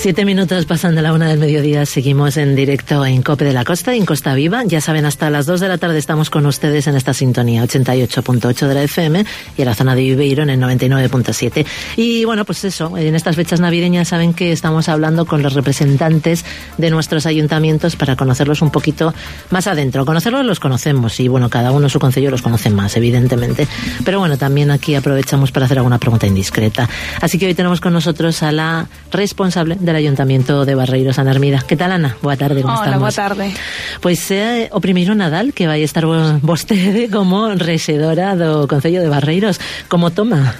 7 minutos pasan de la 1 del mediodía, seguimos en directo en COPE de la Costa y en Costa Viva. Ya saben, hasta las 2 de la tarde estamos con ustedes en esta sintonía, 88.8 de la FM y en la zona de Viveiro en el 99.7. Y bueno, pues eso, en estas fechas navideñas saben que estamos hablando con los representantes de nuestros ayuntamientos para conocerlos un poquito más adentro. Conocerlos los conocemos y bueno, cada uno su concello los conoce más, evidentemente. Pero bueno, también aquí aprovechamos para hacer alguna pregunta indiscreta. Así que hoy tenemos con nosotros a la responsable del Ayuntamiento de Barreiros, Ana Hermida. Que tal, Ana? Boa tarde, como estamos? Hola, boa tarde. Pois é o primeiro Nadal que vai estar vostede como rexedora do Concello de Barreiros. Como toma?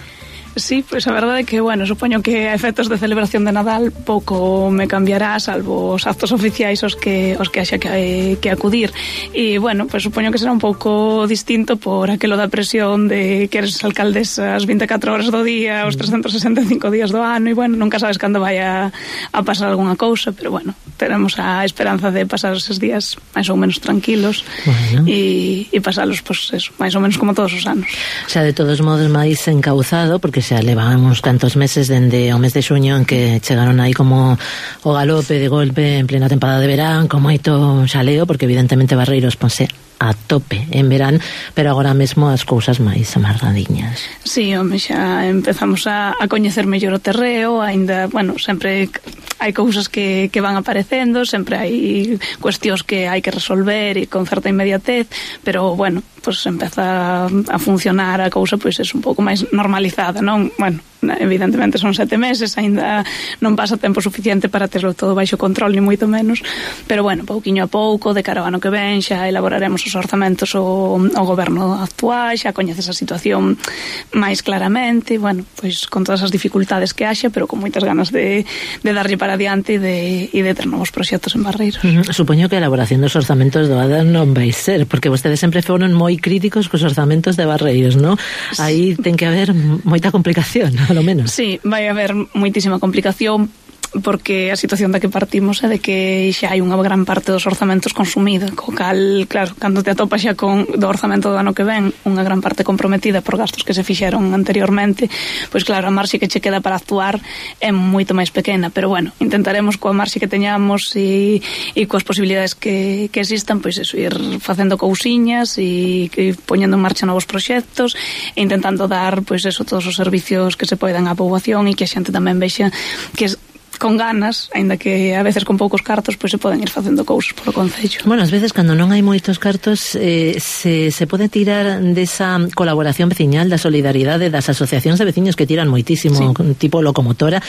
Sí, pois a verdade é que, bueno, supoño que a efectos de celebración de Nadal pouco me cambiará, salvo os actos oficiais os que haxa que acudir. E, bueno, pois supoño que será un pouco distinto por aquelo da presión de que eres alcaldesa as 24 horas do día, os 365 días do ano, e, bueno, nunca sabes cando vai a pasar algunha cousa, pero, bueno, teremos a esperanza de pasar eses días máis ou menos tranquilos, bueno, e pasalos, pois, eso, máis ou menos como todos os anos. O sea, de todos modos, máis encauzado, porque xa levábamos cantos meses dende o mes de xuño en que chegaron aí como o galope de golpe en plena temporada de verán, con moito xaleo, porque evidentemente Barreiros ponse a tope en verán, pero agora mesmo as cousas máis amarradiñas. Sí, home, xa empezamos a coñecer mellor o terreo, aínda, bueno, sempre hai cousas que van aparecendo, sempre hai cuestións que hai que resolver e con certa inmediatez, pero, bueno, pues empeza a funcionar a cousa, pois é un pouco máis normalizada, non? Bueno, evidentemente son 7 meses, aínda non pasa tempo suficiente para terlo todo baixo control, ni moito menos, pero, bueno, pouquiño a pouco, de cara ao ano que ven, xa elaboraremos os orzamentos o goberno actual, xa coñeces a situación máis claramente, bueno, pois con todas as dificultades que haxa, pero con moitas ganas de darlle para adiante e de ter novos proxectos en Barreiros. Supoño que a elaboración dos orzamentos do ADA non vai ser, porque vostedes sempre foron moi críticos cos orzamentos de Barreiros, non? Aí ten que haber moita complicación, a lo menos. Sí, vai haber moitísima complicación, porque a situación da que partimos é de que xa hai unha gran parte dos orzamentos consumida, co cal, claro, cando te atopas xa con do orzamento do ano que ven unha gran parte comprometida por gastos que se fixeron anteriormente, pois claro, a marxe que che queda para actuar é moito máis pequena, pero bueno, intentaremos coa marxe que teñamos e coas posibilidades que existan, pois eso, ir facendo cousiñas e poñendo en marcha novos proxectos e intentando dar, pois eso, todos os servicios que se poidan á poboación e que a xente tamén vexa que con ganas, aínda que a veces con poucos cartos, pois se poden ir facendo cousas polo concello. Bueno, ás veces cando non hai moitos cartos se pode tirar desa colaboración veciñal, da solidaridade das asociacións de veciños que tiran moitísimo, sí, tipo locomotora,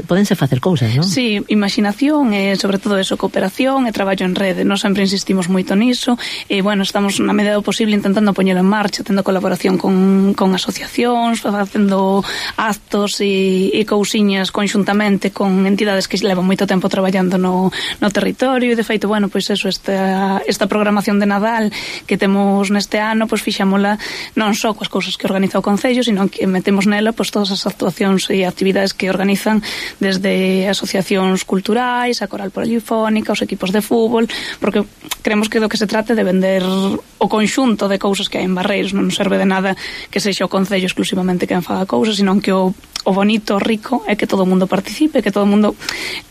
pódense facer cousas, non? Sí, imaginación e sobre todo eso, cooperación e traballo en rede. Nós sempre insistimos moito niso e, bueno, estamos na medida do posible intentando poñelo en marcha, tendo colaboración con asociacións, facendo actos e cousiñas conxuntamente con entidades que levan moito tempo traballando no territorio e, de feito, bueno, pois eso, esta programación de Nadal que temos neste ano, pois fixámola non só coas cousas que organiza o Concello, sino que metemos nela pois todas as actuacións e actividades que organizan desde asociacións culturais, a coral polifónica, os equipos de fútbol, porque creemos que do que se trate de vender o conxunto de cousas que hai en Barreiros. Non serve de nada que sexa o Concello exclusivamente quen faga cousas, sino que o bonito, o rico, é que todo o mundo participe, que todo o mundo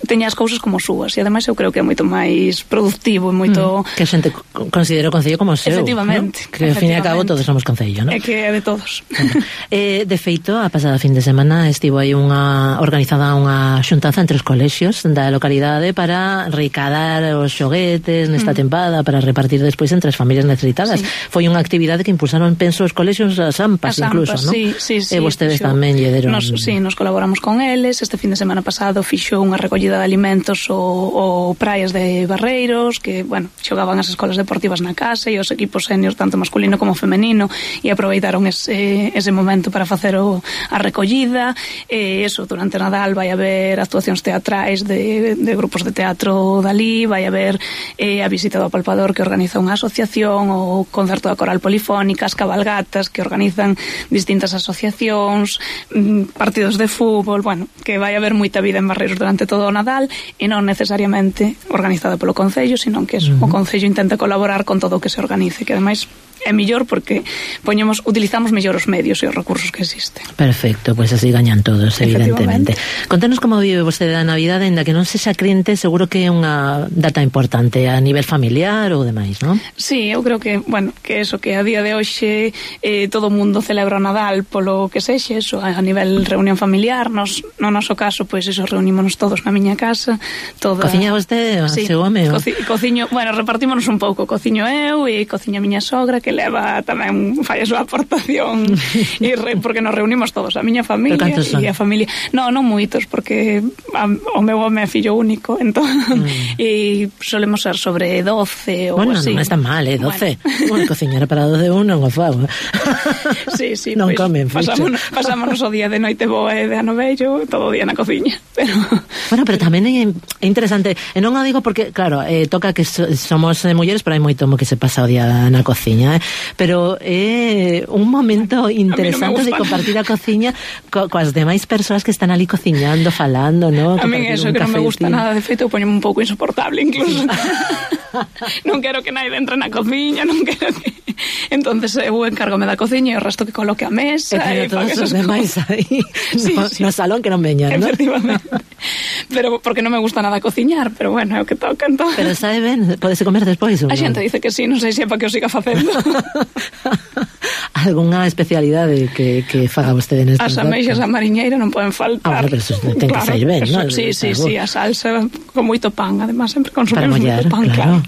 teña as cousas como súas, e ademais eu creo que é moito máis productivo e moito... Que a xente considera o Concello como seu, efectivamente, ¿no? Que ao fin e ao cabo todos somos Concello, ¿no? É que é de todos. Bueno, de feito, a pasada fin de semana estivo aí organizada unha xuntanza entre os colexios da localidade para recadar os xoguetes nesta tempada, para repartir despois entre as familias necesitadas. Sí. Foi unha actividade que impulsaron, penso, os colexios, as AMPAs incluso, ¿no? Sí, e vostedes tamén lle deron... Sí, nos colaboramos con eles. Este fin de semana pasado fixo unha recollida de alimentos o Praias de Barreiros, que, bueno, xogaban as escolas deportivas na casa e os equipos seniors, tanto masculino como femenino, e aproveitaron ese momento para facer a recollida. Eso, durante Nadal vai haber actuacións teatrais de grupos de teatro dali, vai haber a visita do apalpador que organiza unha asociación, o concerto da coral polifónica, as cabalgatas que organizan distintas asociacións, partidos de fútbol, bueno, que vai haber moita vida en Barreiros durante todo o Nadal e non necesariamente organizada polo Concello, sino que o Concello intenta colaborar con todo o que se organice, que ademais é mellor porque utilizamos mellor os medios e os recursos que existen. Perfecto, pois así gañan todos, evidentemente. Contanos como vive vostede a Navidade, ainda que non sexa crente, seguro que é unha data importante a nivel familiar ou demais, non? Sí, eu creo que, bueno, que eso, que a día de hoxe todo o mundo celebra o Nadal polo que sexe, eso, a nivel reunión familiar, no noso caso, pois eso, reunímonos todos na miña casa, Cociña vostede, sí, seu home? Cociño, bueno, repartímonos un pouco, cociño eu e cociña a miña sogra, que leva tamén, fai a súa aportación porque nos reunimos todos, a miña familia e a familia. Non moitos, porque o meu home é fillo único, entón e solemos ser sobre 12 ou bueno, así. Non está mal, 12. Bueno, cociñar para 12 un non o fago. Sí, non pues, comen, pasámonos o día de noite boa e de ano vello, todo o día na cociña. Bueno, pero tamén é interesante, e non o digo porque, claro, toca que somos mulleres, pero hai moito que se pasa o día na cociña, pero é un momento interesante de compartir a cociña coas demais persoas que están ali cociñando, falando, ¿no? A mí eso, que non me gusta nada, de feito, poñeme un pouco insoportable incluso. Non quero que naide entre na cociña, non quero que... Entonces eu encárgome da cociña e o resto que coloque a mesa e todos os demais aí no salón que non veñan, ¿no? Efectivamente. Pero porque non me gusta nada cociñar, pero bueno, é o que toca, entón. Pero sabe ben, podese comer despois ou non? A xente dice que sí, non sei se é para que o siga facendo. Algunha especialidade que faga vostede nestas datas? As ameixas a mariñeira non poden faltar. Bueno, pero eso ten que sair ben, non? Sí, a salsa con moito pan, además sempre consumimos moito pan, claro.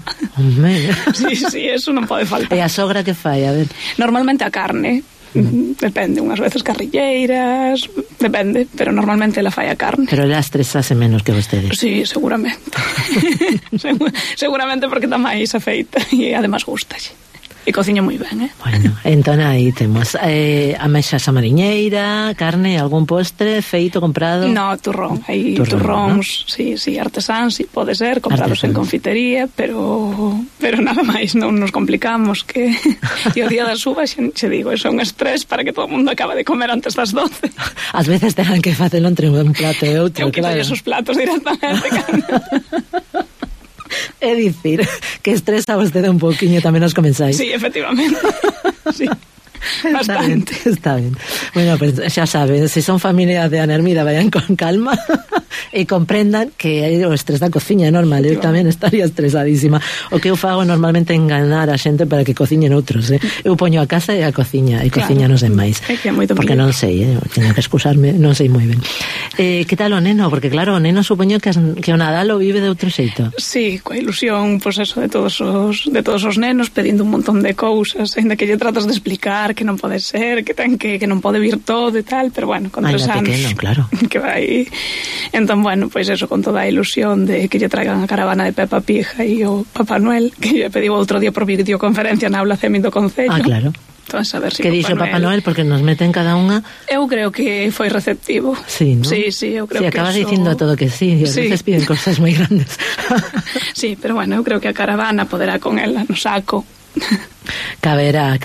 Sí, eso non pode faltar. E a sogra que fai, a ver? Normalmente a carne. Depende, unhas veces carrilleiras, depende, pero normalmente ela fai a carne. Pero ela estresase menos que vostede. Sí, seguramente. Seguramente porque está máis afeita e además gustalle. E cociña moi ben, Bueno, entón aí temos ameixas a mariñeira, carne, algún postre feito, comprado? No, turrón, hai turróns, ¿no? Sí, artesán, sí, pode ser, comprados en confitería, pero nada máis, non nos complicamos, que e o día das uvas, xe digo, é un estrés para que todo o mundo acabe de comer antes das 12. Ás veces tengan que facelo entre un plato e outro, eu claro. Eu quito esos platos directamente, É dicir, que estresa vostede un pouquiño tamén os comenzáis. Sí, efectivamente. Sí. Bastante. Está ben. Bueno, pues xa saben, se son familia de Anermida, vayan con calma e comprendan que o estrés da cociña é normal. Eu tamén estaría estresadísima. O que eu fago normalmente é enganar a xente para que cociñen outros, Eu poño a casa e a cociña, e cociñanos en máis. Porque non sei, teño que excusarme, non sei moi ben. Que tal o neno? Porque claro, o neno supoño que o Nadal o vive de outro xeito. Sí, coa ilusión, pues eso, de todos os nenos, pedindo un montón de cousas, ainda que lle tratas de explicar que non pode ser, que non pode vir todo e tal, pero bueno, con 3 anos pequeno, claro. Que vai. Entón, bueno, pois eso, con toda a ilusión de que lle traigan a caravana de Peppa Pig e o Papá Noel, que lle pediu outro día por videoconferencia na aula CEMI do Concello. Claro. Entón, a ver si que dixo Papá Noel, porque nos meten cada unha. Eu creo que foi receptivo. Sí, ¿no? Sí, eu creo que acabas dicindo todo que sí, e a veces piden cosas moi grandes. Sí, pero bueno, eu creo que a caravana poderá con ela no saco. Caberá a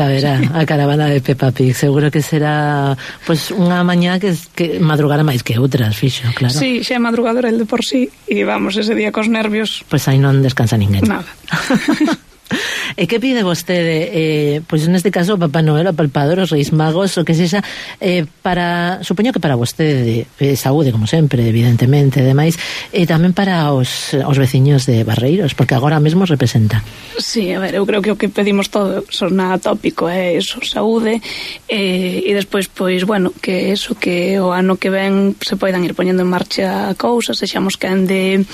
caravana de Peppa Pig. Seguro que será pues unha mañá que madrugará máis que outras, fixo, claro. Sí, xa é madrugador el de por sí, e vamos, ese día cos nervios. Pues aí non descansa ninguén. Nada. E que pide vostede, pois neste caso Papá Noel, o Palpador, os Reis Magos, o que sexa, para, supoño que para vostede, saúde, como sempre, evidentemente, demais, e tamén para os veciños de Barreiros, porque agora mesmo representa. Sí, a ver, eu creo que o que pedimos todo son nada tópico, eso, saúde, e despois, pois, bueno, que eso, que o ano que ven se poidan ir poñendo en marcha cousas, sexamos quen de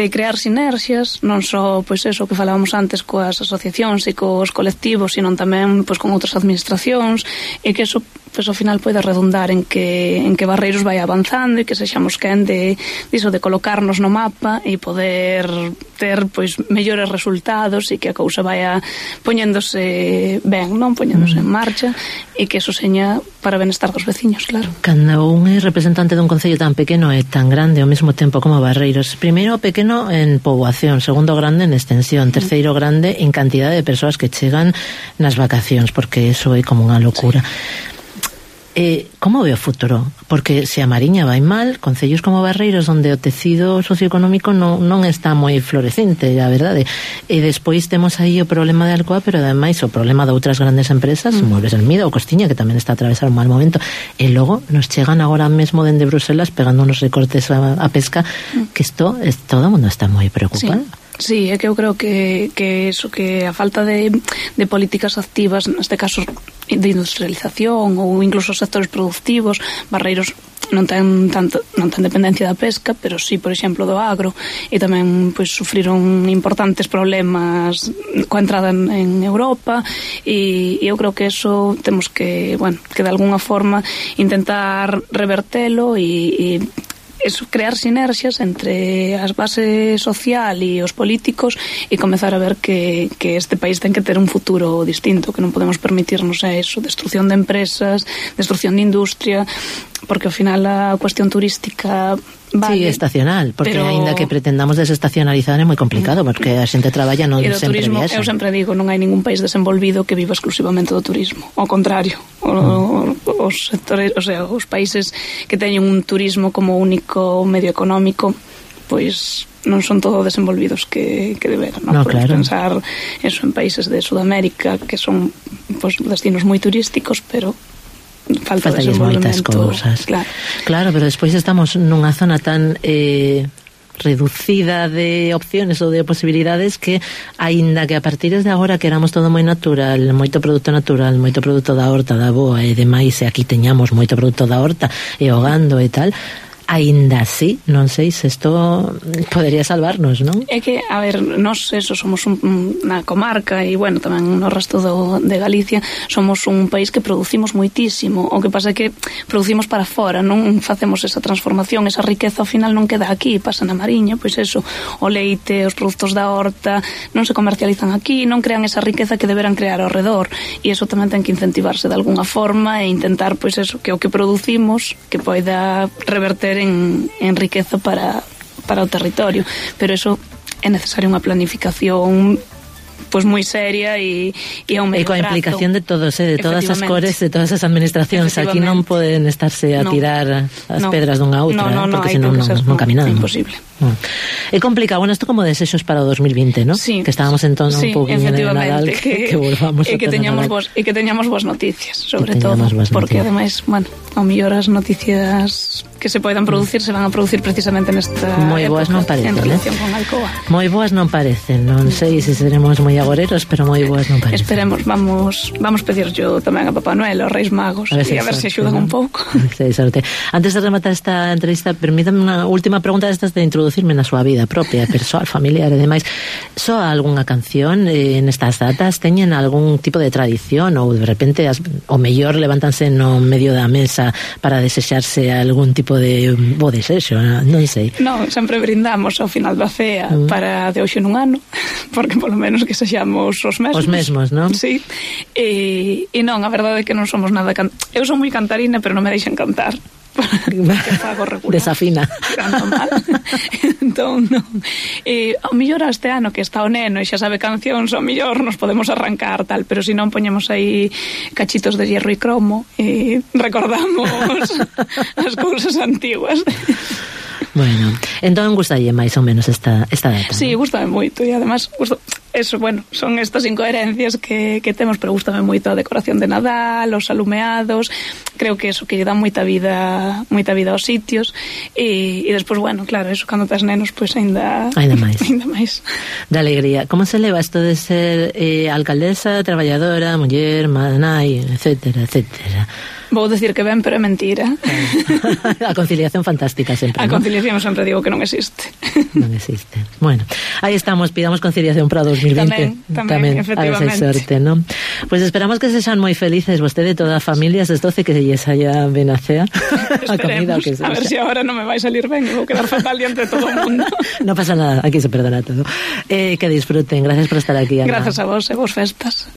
crear sinerxias, non só, pois eso, que falábamos antes coas asociacións e cos colectivos, sino tamén pois con outras administracións, e que eso pois ao final pode redundar en que Barreiros vai avanzando e que sexamos quen de colocarnos no mapa e poder ter pois mellores resultados e que a cousa vaya poñéndose ben, non poñéndose en marcha, e que eso seña para benestar dos veciños, claro. Cando un é representante dun concello tan pequeno e tan grande ao mesmo tempo como Barreiros, primeiro pequeno en poboación, segundo grande en extensión, terceiro grande en cantidade de persoas que chegan nas vacacións, porque eso é como unha locura. como ve o futuro? Porque se a Mariña vai mal, concellos como Barreiros onde o tecido socioeconómico non está moi florecente, a verdade, e despois temos aí o problema de Alcoa, pero ademais o problema de outras grandes empresas, Muebles Almida ou Costiña, que tamén está a atravesar un mal momento, e logo nos chegan agora mesmo dende Bruselas pegando unos recortes a pesca, que todo o mundo está moi preocupado. Sí, é que eu creo que eso, que a falta de políticas activas, neste caso de industrialización ou incluso sectores productivos, Barreiros non ten dependencia da pesca, pero sí, por exemplo, do agro, e tamén pois sufriron importantes problemas coa entrada en Europa, e eu creo que eso temos que, que de alguna forma intentar revertelo e eso, crear sinerxias entre as base social e os políticos e comezar a ver que este país ten que ter un futuro distinto, que non podemos permitirnos eso, destrucción de empresas, destrucción de industria, porque ao final a cuestión turística vale, sí, estacional, porque aínda que pretendamos desestacionalizar é moi complicado, porque a xente traballa non sempre turismo, viaxa. Eu sempre digo, non hai ningún país desenvolvido que viva exclusivamente do turismo, ao contrario, os sectores, o sea, os países que teñen un turismo como único medio económico, pois non son todo desenvolvidos que deberan, non? Podemos pensar eso en países de Sudamérica que son pues, destinos moi turísticos, pero faltalles moitas cousas. Claro, pero despois estamos nunha zona tan reducida de opciones ou de posibilidades que, aínda que a partir de agora queramos todo moi natural, moito produto natural, moito produto da horta, da boa e demais, e aquí teñamos moito produto da horta e o gando e tal, aínda así, non sei se isto podería salvarnos, non? É que, a ver, nós eso somos unha comarca e, tamén no resto de Galicia somos un país que producimos moitísimo, o que pasa é que producimos para fora, non facemos esa transformación, esa riqueza ao final non queda aquí, pasa na Mariña, pois eso, o leite, os produtos da horta non se comercializan aquí, non crean esa riqueza que deberán crear ao redor, e eso tamén ten que incentivarse de algunha forma e intentar, pois eso, que o que producimos que poida reverter en riqueza para o territorio, pero eso é necesaria unha planificación pois moi seria e a un medio prazo. E coa implicación de todos, de todas as cores, de todas as administracións. Aquí non poden estarse a tirar as pedras dunha a outra, porque senón non caminamos. É imposible. É complicado. Bueno, isto como desexos para o 2020, ¿no? Sí. Que estábamos entón un pouquinho de Nadal, que volvamos a que teñamos boas noticias, sobre todo, porque ademais, ao mellor as noticias que se poidan producir se van a producir precisamente nesta moi boas non parecen, en relación con Alcoa. Moi boas non parecen, non sei se seremos moi agoreros, pero moi boas non parecen. Esperemos, vamos pedir yo tamén a Papá Noel, aos Reis Magos, e a ver se axudan un pouco. Antes de rematar esta entrevista, permítame unha última pregunta destas de introducirme na súa vida propia, persoal, familiar e demais. Soa algunha canción nestas datas? Teñen algún tipo de tradición ou de repente o mellor levántanse no medio da mesa para desexarse algún tipo de bo desexo, non sei. Non, sempre brindamos ao final da cea para de hoxe nun ano, porque polo menos que sexamos os mesmos. Os mesmos, non? Sí. E non, a verdade é que non somos nada eu son moi cantarina, pero non me deixan cantar. Desafina. Mal. Entón, non. Ao mellor este ano que está o neno e xa sabe cancións, ao mellor nos podemos arrancar tal, pero se non poñemos aí cachitos de hierro e cromo e recordamos as cousas antiguas. Bueno, entón gustalle máis ou menos esta data. Sí, gustame moito e además eso, son estas incoherencias que temos, pero gustame moito a decoración de Nadal, os alumeados, creo que eso que lle dá moita vida aos sitios e despois, claro, eso cando tes nenos, pois ainda máis. Da alegría. Como se leva isto de ser alcaldesa, traballadora, muller, nai, etcétera, etcétera? Vou decir que ben, pero é mentira. A conciliación fantástica sempre, A conciliación sempre digo que non existe. Non existe. Bueno, aí estamos, pidamos conciliación para 2020. Tamén, efectivamente. A ver se sorte, non? Pois esperamos que sexan moi felices vostede e toda a familia, estes 12 que lles haya ben a cea. A comida, o que sexa. A ver se agora non me vai salir ben, vou quedar fatal diante de todo o mundo. Non pasa nada, aquí se perdona todo. Que disfruten, gracias por estar aquí, Ana. Gracias a vos e vos festas.